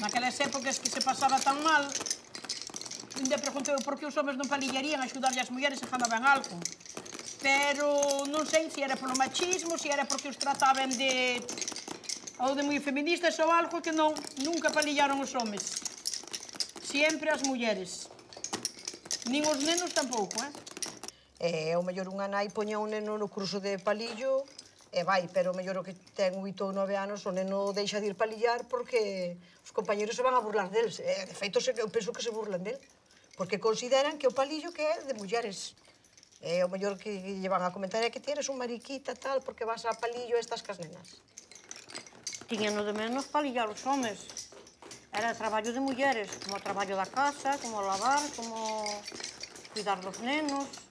naquelas épocas que se pasaba tan mal, ainda preguntei por que os homens non palillarían a axudarlle as mulleres se ganaban algo. Pero non sei se era polo machismo, se era porque os trataban de moi feministas ou algo, que non, nunca palillaron os homes. Sempre as mulleres. Nin os nenos tampouco, Ao mellor unha nai poña un neno no curso de palillo e vai, pero ao mellor o que ten 8 ou 9 anos o neno deixa de ir palillar porque os compañeros se van a burlar deles. De feito, eu penso que se burlan del, porque consideran que o palillo que é de mulleres. Ao mellor que lle van a comentar é que ti eres un mariquita, tal, porque vas a palillo e estás cas nenas. Tiñan de menos palillar os homes. Era traballo de mulleres, como o traballo da casa, como lavar, como cuidar dos nenos.